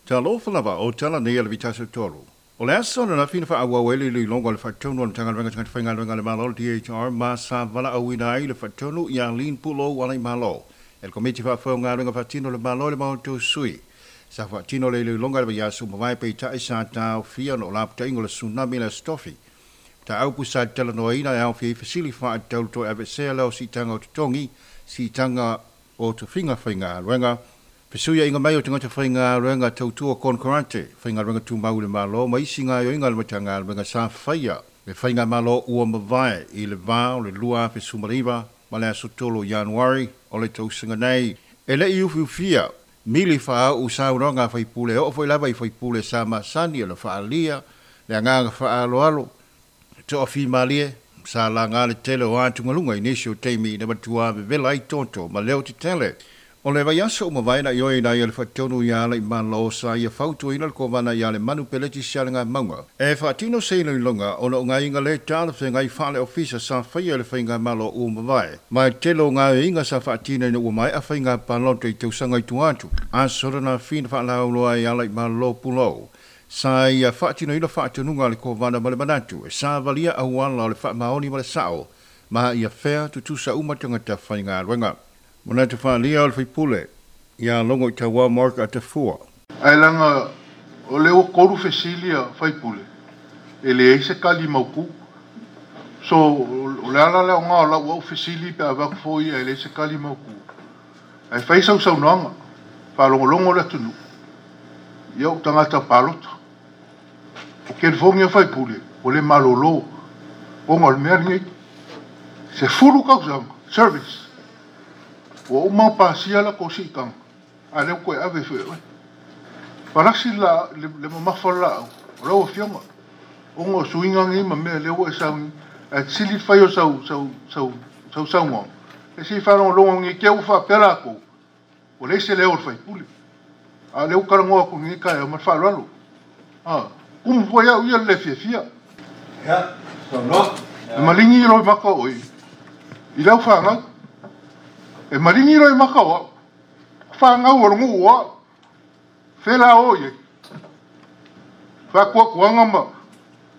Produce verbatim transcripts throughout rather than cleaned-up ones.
Talofa lava o tala nei a le Vitasa Tolu. O le aso na fina wha ele le longo le whatonu o le Matagaluega Tagata Faigaluega le Malo D H R ma sa vala auina ai le whatonu i Arlene Pulo wala i Malo. El komiti wha whaungaluega whatino le Malo le maoto sui. Sa whatino le le longa le vaiaso mawai pe tai sa tau fia no laputa ingo le tsunami le stofi. Ta aupu sa tala noaina e au fia i fasili wha tau toi avesea leo si tanga o tutongi, si tanga o tufinga whaingaluega. Fesuia inga mai o tangata whaingaluega tautua konkorante, whaingaluega tūmau le malo, ma isi ngā ioinga le matagaluega sa whaia. Le whainga malo ua mavae i le vao le lua fesumariva, ma le aso tolu Januari o le tausaga nei. E le i ufiufia, mili whaau sauronga whaipule, o foi lava i whaipule sa masani o le whaalia, le anganga whaaloalo, toa fi malie, sa la ngā le tele o ātungalunga i nisi o teimi na matua vevela i toto, ma leo te tele. O le vaiaso o mavaena i oi nei le whatonu i ala i malo sa ia fautuina le kovana i ale manu peleti si ale ngā maunga. E whaatino se ino i lunga o no ngā inga le tāla whengai whaale ofisa sa whaia le whainga malo o mavae. Mai telo ngā inga sa whaatina ina ua mai a whainga paloto i tausanga i tuatu. A sorana whina whaalauloa i ala i malo pulo. Sa ia whaatino ina whaatununga le kovana ma le manatu. E sa valia auala o le whaamaoni ma le sao. Ma ia whea tutusa umatangata whainga ruenga. Manatu whaalia o le whipule, ia longo i taua Mark a te fua. Ai langa o leo koru fesilia whaipule, e le eise kali mauku. So, o le ala leo ngā o lau au fesili pe awak foi e le eise kali mauku. Ai whaisau sau noanga, whalongolongo le tunu, ia o tangata palota. O kelfongia whaipule, o le malolo, o ngā o le mea ngei. Se fulu kausanga, service. O uma pasia la kosi kang a le ko ave fe we palasi la le le mamafa la o la fionga o ngo suinga ngi ma me le o sa a sili fa yo sa sa sa sa sa ngo e si fa lo lo ngi ke u fa pela ko o le se le o fa puli a le o ka ngo ko ngi ka e ma fa lo a kum fo ya u le fia fia ya so no malingi ro maka o i la fa nga e maringi roi makawa, whangau o rungu ua, whela o ye. Whakua kuanga ma,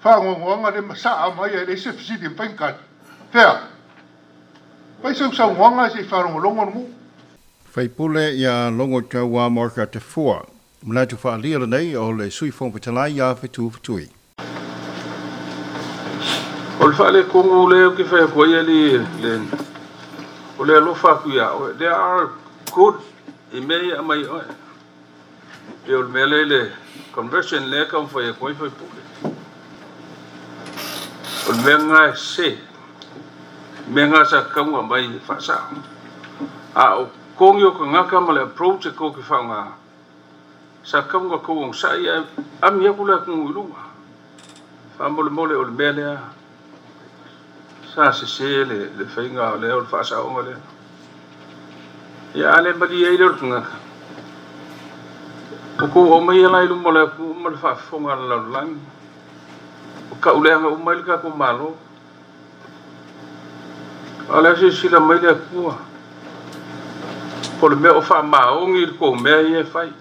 whangongoanga le masaa mai e le se fisidi mpaingkani. Whea, pai sau sau ngoanga se wharongolongo rungu. Whaipule ia longo taua Marka te fua. Manatu whaalia le nei o le sui whongpatalai ia whetu whetui. O le whaale kongu leo ki whea koe ia li le... O le alofa aku ia oe. There are good i mea ia mai oe. E o le mea le le conversion le ka mwhai e koe whai pule. O le mea ngā se. Mea ngā sa kaunga mai whasa. A o kongi o ka ngaka ma le approach e kō ki whaunga. Sa kaunga kou ong sa ia ami aku le aku ngu ilunga. Wha mole mole o le mea lea. Sa se se le le whainga o le o le whaasaonga le. Ia ale mali ei le o le ngaka. O kou o mai ala ilu mo le aku ma le whaafonga le lalulangi. O ka uleanga o mai le kako malo. Ale se sila mai le akua. Po le mea o wha maongi le kou mea i e whai.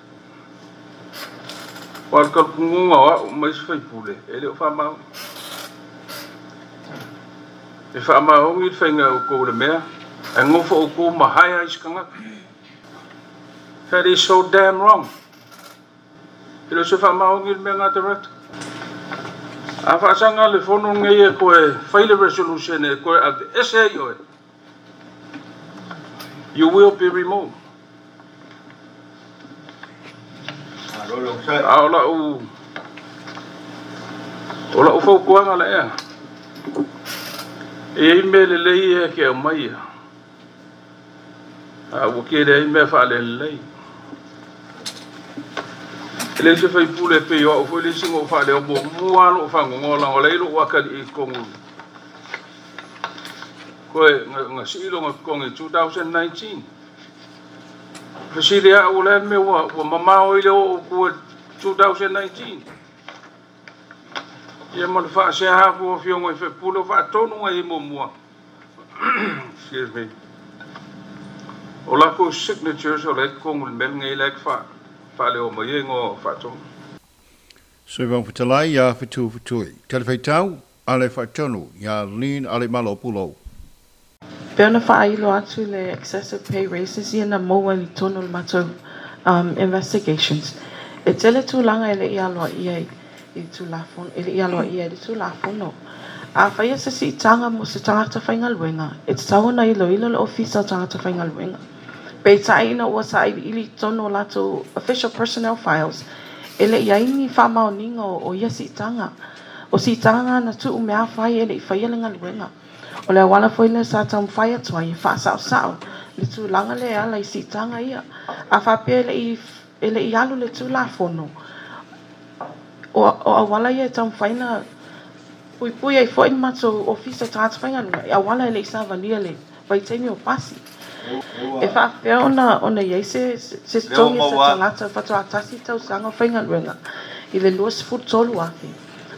O al kalpungunga o au mai se whaipule. E le o wha maongi. E wha maongi le whainga o kou le mea, e ngofo o kou mahaya i skangaka. That is so damn wrong. E lo se wha maongi le mea ngā te rata. A whaasanga le fono ngei e koe whaile resolution e koe a te ese i oe. You will be removed. A o la u... O la u whaukuanga le ea. E ei mea le lei e ke au mai ia. A ua ke le ei mea whaale le lei. E le se whaipule pe o au fwe le singo whaale o mo mua lo whangongo lango lei lo wakali i kongu. Koe nga siilo nga kongi twenty nineteen. Fasili a ua le mea ua ua mamao i le o kua twenty nineteen. Ia ma le whaasea haku o fiongo i whepule o whaatonu ngai i mua. Excuse me. O lako signatures o le kongu le mel ngai lek wha. Faaleo mai ai igoa o faatonu. Sui Fofoga ia Fetu Fetui. Talifuaitau a le faatonu ia Lean Alaimalo Pulou. Pe ona faailo atu le excessive pay raises ia na maua i totonu o le matou um, investigations. E tele tulaga e le i aloaia i i Tulafono, e le i aloaia i le Tulafono. A faia se siitaga mo se tagata faigaluega, e tatau ona iloilo le Ofisa o Tagata Faigaluega. Peitai ina ua sailiili i totonu o latou official personnel files, e le i ai ni faamaoniga o, o ia siitaga. O siitaga na tuu mea fai e le i faia le galuega. O le auala foi lea sa taumafai atu ai e faasaosao le tulaga lea e ala i siitaga ia. A faapea e le i, e le i alu le Tulafono, o, o auala ia e taumafai na puipui ai foi le matou Ofisa o Tagata Faigaluega i auala e le i savalia le vaitaimi o pasi. E faapea ona, ona i ai se, se, se Lea ua totogi o se maua. tagata faatoa tasi tausaga o faigaluega i le luasefulu tolu afe.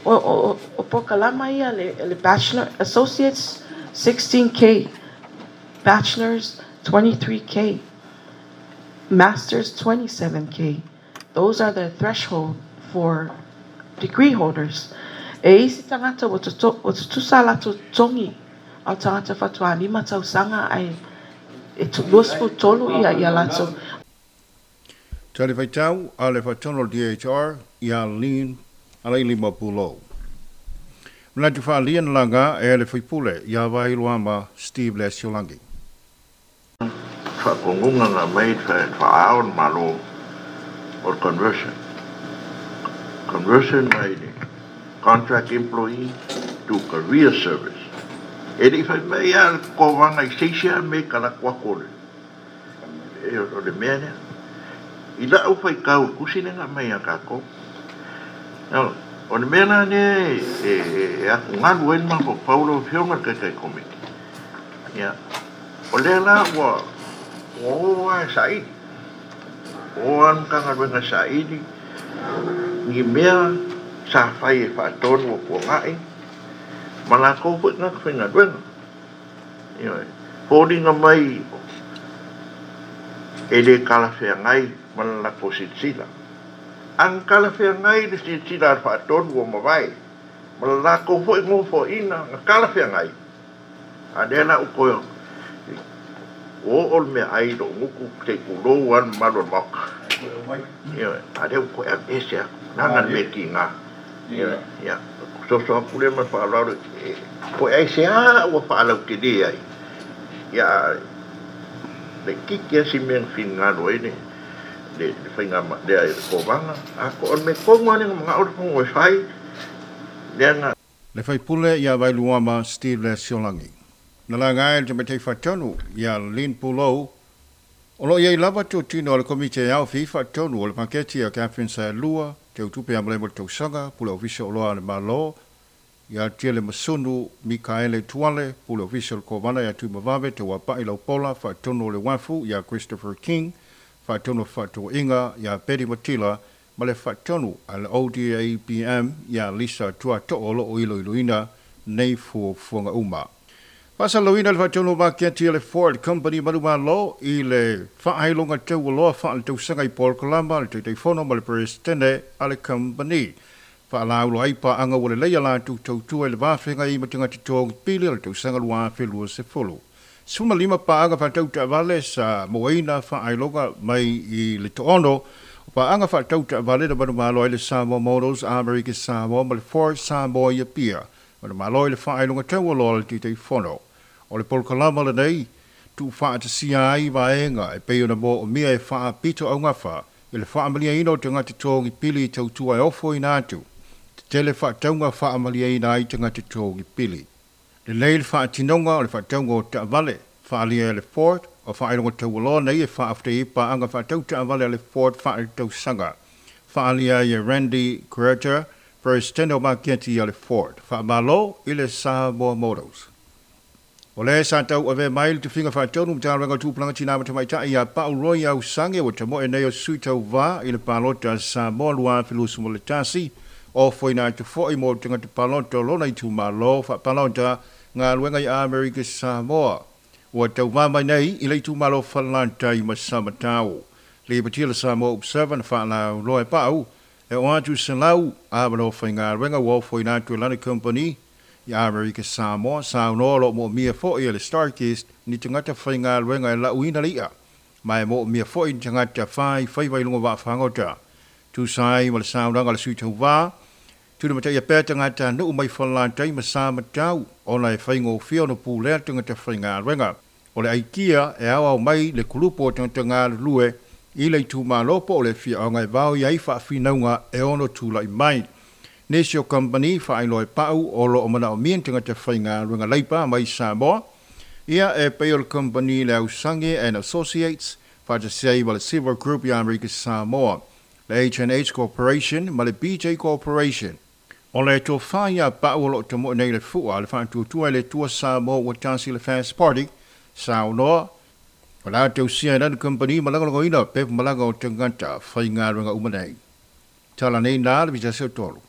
O, o, o, o pokalama ia le, le Bachelor Associates sixteen K, Bachelors twenty-three K, Masters twenty-seven K. Those are the threshold for degree holders. E isi tagata ua toto- ua tutusa latou totogi ao tagata faatoa lima tausaga ae e tu- luasefulu tolu ia ia latou. Talifuaitau a le faatonu o le D H R ia Lean Alailima Pulou. Manatu faalia na laga e le faipule ia Vailuama Steve Lesiolagi. Whaakongunga ngā mei whaao na malo o conversion. Conversion mai le contract employee to career service. E le i whai mai a ko wanga i seisia me ka la kwa kore. E o le mea nea. I la au whai kau kusine ngā mai a kako. Now, o le mea la nea e, e, e aku ngalu e ma ko Paulo whionga kai kai komiti. Ia. O lea la ua oa e saili. Oa nkanga wenga saili. Ni mea sa whai e whaatonu o pua ngai. Ma la kou fwe ngā whenga wenga. Ia, fōringa mai e le kalawhea ngai ma la ko sitsila. Ang kalawhea ngai le sitsila al whaatonu o mawai. Ma la kou fwe ngō fo ina ngā kalawhea ngai. A lea la ukoyo. O o le mea ai lo nguku te kulou an malo maka. Ia, a lea ukoe a ese aku. Nanga le ki ngā. Ia, ia. So so aku le ma whaalaro. Koe ai se a ua whaalau ke le ai. Ia, le kiki asi mea whingalo e ne. Le, le whainga ma, le ai ko wanga. A ko on me kongo ane nga ora pongo e whai. Lea ngā. Le whaipule ia Vailuama Steve Lesiolagi. Na la ngai le te whatonu ia Lin Pulou. O lo iei lava tōtino o le komite au fi whatonu o le paketi a Catherine Saelua, te utupe amale mo tausaga, pule ofisa o loa le malo, ia Tiele Masunu, Mikaele Tuale, pule ofisa o le Kovana ia Tuimavave, te wapai laupola, whatonu o le wafu, ia Christopher King, whatonu whatoinga, ia Betty Matila, ma le whatonu a le O D A B M, ia Lisa Tuato'o lo o ilo iloina, nei fuafuaga uma. Faasaloina le faatonu maketi a le Ford Company manumalo i le faailoga taualoa faaletausaga i polokalama le Taitaifono ma le Peresetene a le company. Faalaulo ai paaga ua lelei a latou tautua i le vafeaga i ma tagata togi pili o le tausaga lua afe lua sefulu. Sefulumalima paaga faatau taavale sa moaina faailoga mai i le toono. O paaga faatau taavale na manumalo ai le Samoa Motors, America Samoa ma le Ford Samoa ia pia. Manumalo i le faailoga taualoa le Taitaifono. O le polokalama lenei, tuufaatasia ai vaega e pei ona moomia e faapito augafa i le faamaliaina o tagata togi pili i tautua e ofo ina atu. Tetele faatauga faamaliaina ai tagata togi pili. Lelei le faatinoga o le faatauga o taavale, faalia e le Ford, o faailoga taualoa nei e faafetai paaga faatau taavale a le Ford faaletausaga. Faalia ai e Randy Carter, President o maketi a le Ford. Faamalo i le Samoa Motors. O le sa tau ave mai le tufiga faatonu Matagaluega o Tupulaga Tina ma Tamaitai ia Pau Roy Ausange ua tamoe nei o sui tauvā i le palota a Samoa lua afe luasefulu ma le tasi o foina atu foi mo tagata palota o lona itumalo faapalota galuega i Amerika Samoa. Ua tauvā mai nei i le itumalo Falelatai ma Samatau. Lipoti a le Samoa Observer na faalauiloa e Paʻu e oo atu i selau avanoa faigaluega ua ofoina atu e lana kamupani i Amerika Samoa. Saunoa o loo moomia foʻi e le Starkist ni tagata faigaluega e lauina le iʻa ma e moomia foʻi ni tagata fai faiva i luga o vaafagota. Tusa ai ma le saunoaga a le sui tauvā, tulimataia pea tagata nuu mai Falelatai ma Samatau ona e faigofie ona pulea tagata faigaluega. O le aikia e aoao mai le kulupu o tagata galulue i le itumalo po o le afioaga e vaoia ai faafinauga e ono tulaʻi mai. Nisi o kamupani faailoa e Paʻu o loo manaomia ni tagata faigaluega laipa mai Samoa, ia e pei o le kamupani le Ausage and Associates faatasi ai ma le Silver Group i Amerika Samoa, le H and H Corporation ma le B J Corporation. O le tofā iā Paʻu o loo tamoe nei le fua le faatuatua i le Atua Samoa ua tasi le Fast Party. Saunoa o le a tausia e lana kamupani ma lagolagoina pepa malaga o tagata faigaluega uma nei. Tala nei na le vitasi o tolu.